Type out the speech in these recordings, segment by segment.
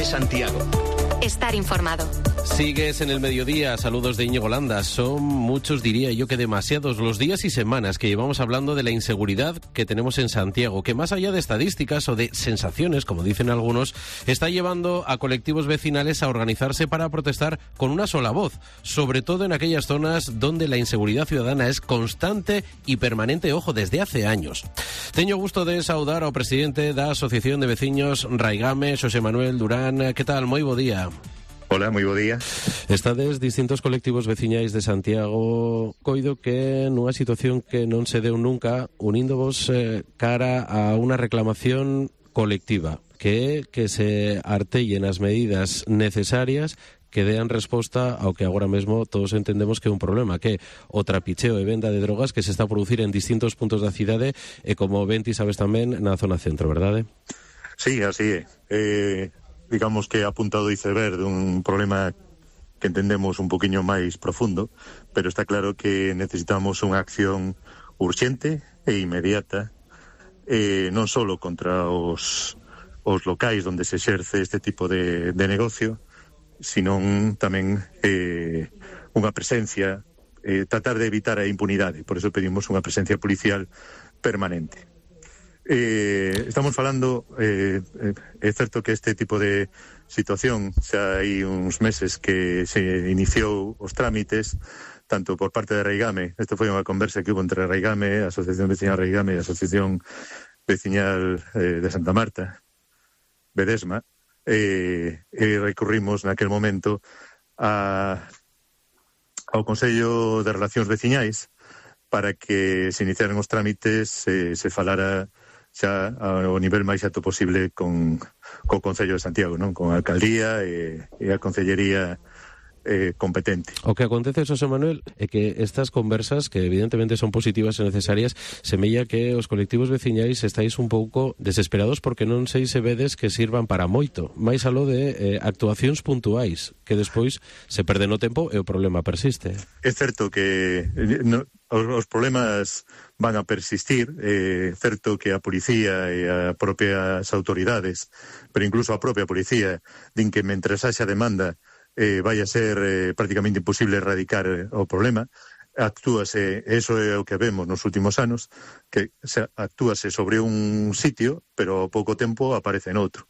COPE Santiago. Estar informado. Sigues en el mediodía, saludos de Íñigo Landa. Son muchos, diría yo que demasiados, los días y semanas que llevamos hablando de la inseguridad que tenemos en Santiago, que más allá de estadísticas o de sensaciones, como dicen algunos, está llevando a colectivos vecinales a organizarse para protestar con una sola voz, sobre todo en aquellas zonas donde la inseguridad ciudadana es constante y permanente, ojo, desde hace años. Teño gusto de saudar ao presidente da Asociación de Veciños Raigame, Xosé Manuel Durán. Que tal? Moi bo día. Hola, moi bo día. Estades distintos colectivos veciñais de Santiago, coido que nunha situación que non se deu nunca, uníndovos cara a unha reclamación colectiva, que é que se artellen as medidas necesarias que dean resposta ao que agora mesmo todos entendemos que é un problema, que é o trapicheo e venda de drogas que se está a producir en distintos puntos da cidade e, como ben ti sabes tamén, na zona centro, verdade? Sí, así é. Digamos que é a punta do iceberg dun problema que entendemos un poquinho máis profundo, pero está claro que necesitamos unha acción urxente e inmediata, non só contra os locais onde se exerce este tipo de negocio, sino tamén unha presencia, tratar de evitar a impunidade. Por eso pedimos unha presencia policial permanente. Estamos falando, é certo que este tipo de situación xa hai uns meses que se iniciou os trámites, tanto por parte de Raigame. Isto foi unha conversa que hubo entre Raigame, a Asociación Veciñal Raigame e a Asociación Veciñal de Santa Marta, Bedesma, e recurrimos naquel momento ao Consello de Relacións Veciñais para que se iniciaran os trámites, se falara xa ao nivel máis alto posible co Concello de Santiago, non? Con a alcaldía e a concellería competente. O que acontece, Xosé Manuel, é que estas conversas, que evidentemente son positivas e necesarias, semella que os colectivos veciñais estáis un pouco desesperados porque non sei se vedes que sirvan para moito, máis aló de actuacións puntuais, que despois se perde no tempo e o problema persiste. É certo que os problemas van a persistir, é certo que a policía e as propias autoridades, pero incluso a propia policía, din que mentres haxa demanda vai a ser prácticamente imposible erradicar o problema. Actúase, eso é o que vemos nos últimos anos, que actúase sobre un sitio, pero ao pouco tempo aparece noutro.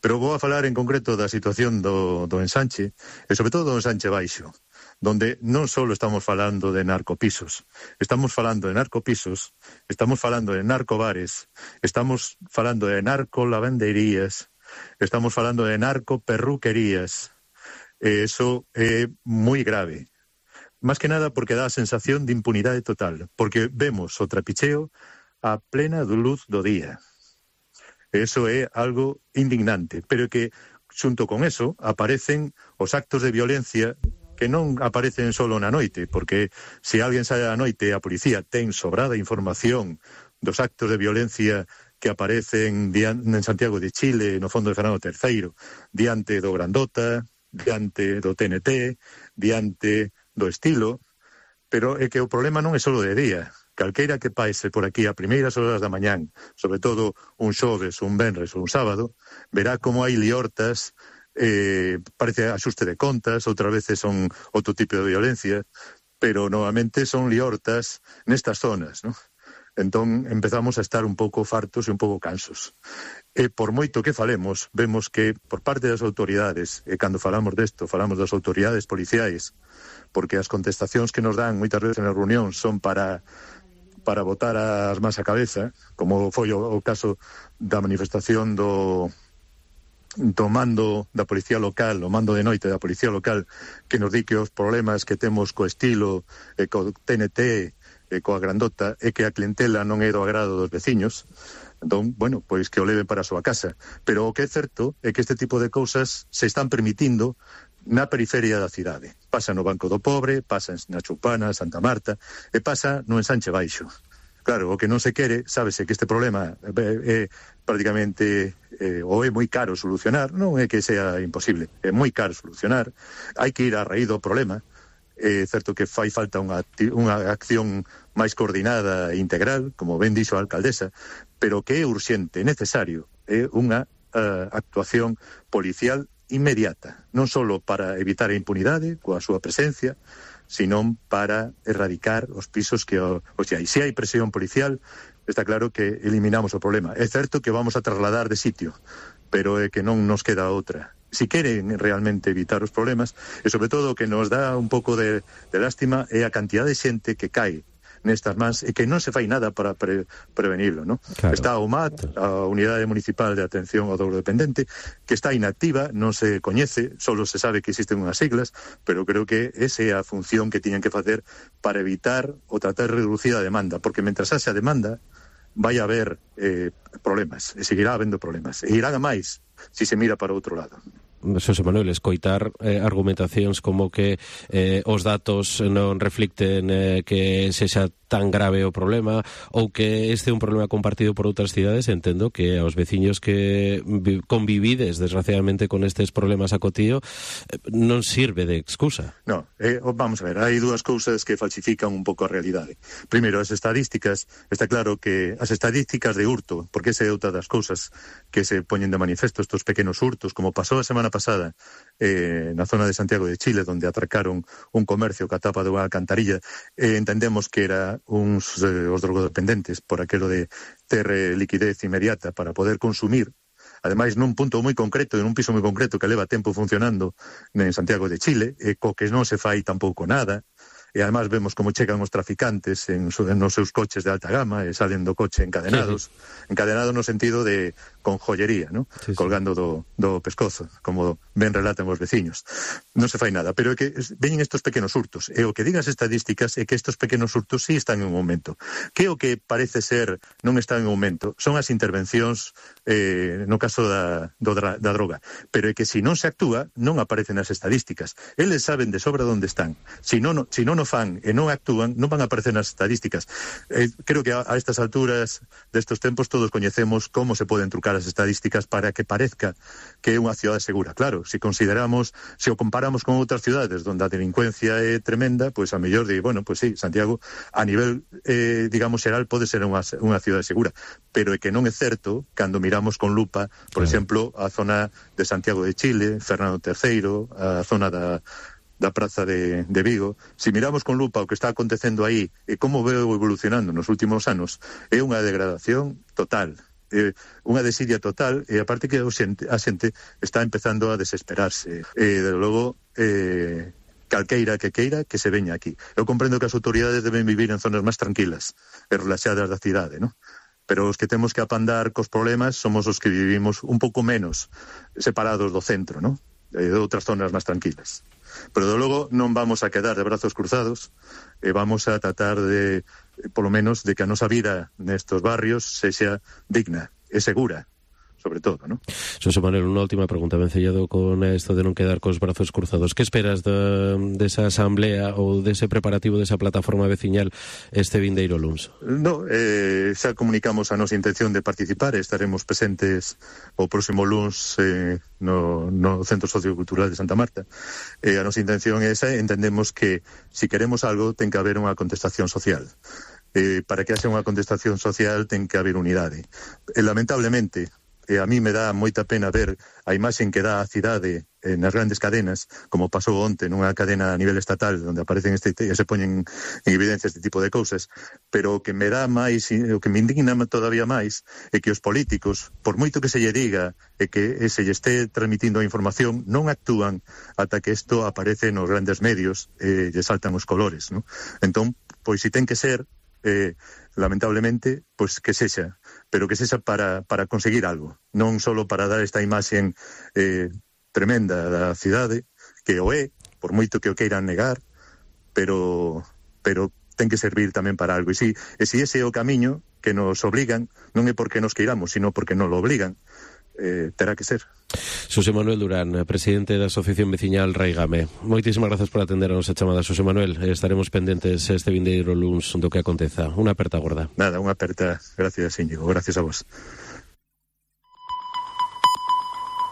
Pero vou a falar en concreto da situación do ensanche, e sobre todo do ensanche baixo, donde non só estamos falando de narcopisos, estamos falando de narcopisos, estamos falando de narcobares, estamos falando de narcolavanderías, estamos falando de narcoperruquerías. Eso é moi grave. Más que nada porque dá a sensación de impunidade total, porque vemos o trapicheo a plena luz do día. Eso é algo indignante, pero que, xunto con eso, aparecen os actos de violencia que non aparecen só na noite, porque se alguén sae a noite, a policía ten sobrada información dos actos de violencia que aparecen en Santiago de Chile, no fondo de Fernando III, diante do Grandota, diante do TNT, diante do Estilo, pero é que o problema non é só de día. Calqueira que paise por aquí a primeiras horas da mañán, sobre todo un xoves, un venres ou un sábado, verá como hai liortas, parece axuste de contas, outras veces son outro tipo de violencia, pero novamente son liortas nestas zonas, non? Entón empezamos a estar un pouco fartos e un pouco cansos. E por moito que falemos, vemos que por parte das autoridades, e cando falamos desto, falamos das autoridades policiais, porque as contestacións que nos dan moitas veces na reunión son para botar as más a cabeza, como foi o caso da manifestación do mando da policía local, o mando de noite da policía local, que nos di que os problemas que temos co Estilo e co TNT e coa Grandota é que a clientela non é do agrado dos veciños. Entón, bueno, pois que o leven para a súa casa. Pero o que é certo é que este tipo de cousas se están permitindo na periferia da cidade. Pasa no Banco do Pobre, pasa na Chupana, Santa Marta, e pasa no Ensanche Baixo. Claro, o que non se quere, sábese que este problema é prácticamente ou é moi caro solucionar, non é que sea imposible, é moi caro solucionar, hai que ir á raíz do problema. É certo que fai falta unha acción máis coordinada e integral, como ben dixo a alcaldesa, pero que é urxente, necesario, é unha actuación policial inmediata, non só para evitar a impunidade coa súa presencia, sino para erradicar os pisos que hai. Se hai presión policial, está claro que eliminamos o problema. É certo que vamos a trasladar de sitio, pero é que non nos queda outra. Si queren realmente evitar os problemas, e sobre todo o que nos dá un pouco de lástima é a cantidad de xente que cae nestas mans e que non se fai nada para prevenirlo, ¿no? Claro. Está a UMAT, a Unidade Municipal de Atención ao Drogodependente, que está inactiva, non se coñece, solo se sabe que existen unhas siglas, pero creo que esa é a función que tiñan que facer para evitar ou tratar de reducir a demanda, porque mentras haxa demanda vai haber problemas, e seguirá habendo problemas, e irán a máis se se mira para outro lado. Xosé Manuel, escoitar argumentacións como que os datos non reflicten que sexa tan grave o problema ou que este é un problema compartido por outras cidades, entendo que aos veciños que convivides desgraciadamente con estes problemas a cotío non sirve de excusa. No, vamos a ver, hai dúas cousas que falsifican un pouco a realidade. Primeiro, as estadísticas, está claro que as estadísticas de hurto, porque esa é outra das cousas que se poñen de manifesto, estos pequenos hurtos, como pasou a semana pasada na zona de Santiago de Chile, donde atracaron un comercio que a tapa de unha alcantarilla, entendemos que era os drogodependentes por aquelo de ter liquidez inmediata para poder consumir, ademais nun punto moi concreto, en un piso moi concreto que leva tempo funcionando en Santiago de Chile, co que non se fai tampouco nada, e además vemos como chegan os traficantes nos seus coches de alta gama e salen do coche encadenados, encadenados no sentido de con joyería, ¿no? Sí, sí. Colgando do pescozo, como ben relatan os veciños. Non se fai nada, pero é que veñen estos pequenos hurtos, e o que digan as estadísticas é que estos pequenos hurtos sí están en aumento. Que o que parece ser non está en aumento son as intervencións no caso da droga, pero é que se non se actúa non aparecen as estadísticas. Eles saben de sobra onde están. Se non o fan e non actúan, non van a aparecer nas estadísticas. Creo que a estas alturas destes tempos todos coñecemos como se poden trucar as estadísticas para que parezca que é unha cidade segura. Claro, se o comparamos con outras cidades onde a delincuencia é tremenda, pois a mellor de, bueno, pois sí, Santiago a nivel, digamos, xeral pode ser unha cidade segura, pero é que non é certo cando miramos con lupa, por exemplo, a zona de Santiago de Chile, Fernando III, a zona da Praza de Vigo. Se miramos con lupa o que está acontecendo aí e como veo evolucionando nos últimos anos, é unha degradación total, unha desidia total, e aparte que a xente está empezando a desesperarse. Desde logo, calqueira que queira que se veña aquí. Eu comprendo que as autoridades deben vivir en zonas máis tranquilas e relaxadas da cidade, ¿no? Pero os que temos que apandar cos problemas somos os que vivimos un pouco menos separados do centro, ¿no? De outras zonas máis tranquilas. Pero, de logo, non vamos a quedar de brazos cruzados e vamos a tratar de, polo menos, de que a nosa vida nestos barrios sexa digna e segura, sobre todo, ¿no? Xosé Manuel, unha última pregunta, vencellado con isto de non quedar cos brazos cruzados. Que esperas desa asamblea ou dese preparativo desa plataforma veciñal este vindeiro luns? No, xa comunicamos a nosa intención de participar, estaremos presentes o próximo luns no Centro Sociocultural de Santa Marta. A nosa intención é esa, entendemos que se queremos algo ten que haber unha contestación social. Para que haxa unha contestación social ten que haber unidade. Lamentablemente, a mí me dá moita pena ver a imaxen que dá a cidade nas grandes cadenas, como pasou onte nunha cadena a nivel estatal, onde aparecen e se poñen en evidencia este tipo de cousas, pero o que me dá máis, o que me indigna todavía máis, é que os políticos, por moito que se lle diga e que se lle esté transmitindo a información, non actúan ata que isto aparece nos grandes medios e lle saltan os colores, ¿no? Entón, pois se ten que ser, lamentablemente, pois que sexa, pero que sexa para conseguir algo, non só para dar esta imaxen tremenda da cidade, que o é, por moito que o queiran negar, pero ten que servir tamén para algo. E se ese é o camiño que nos obligan, non é porque nos queiramos, sino porque nos lo obligan, terá que ser. Xosé Manuel Durán, presidente da Asociación Veciñal Raigame. Moitísimas grazas por atender a nosa chamada, Xosé Manuel. Estaremos pendentes este vindeiro luns do que aconteza. Unha aperta gorda. Nada, unha aperta. Gracias, Íñigo. Gracias a vos.